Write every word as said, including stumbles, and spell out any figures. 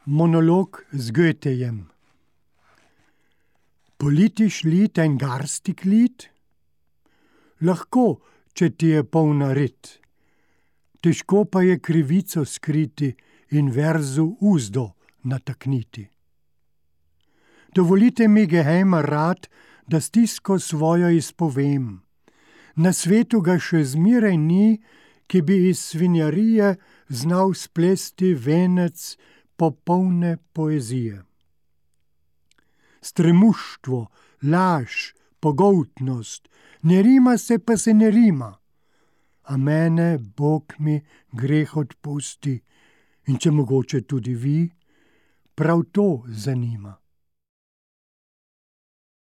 Monolog z Goethejem. Politisch Lied ein garstig Lied? Lahko, če ti je polna rit. Težko pa je krivico skriti in verzu uzdo natakniti. Dovolite mi, gehejma rad, da stisko svojo izpovem. Na svetu ga še zmeraj ni, ki bi iz svinjarije znal splesti venec popolne poezije. Stremuštvo, laž, pogoltnost, ne rima se, pa se ne rima. A mene, Bog mi, greh odpusti, in če mogoče tudi vi, prav to zanima.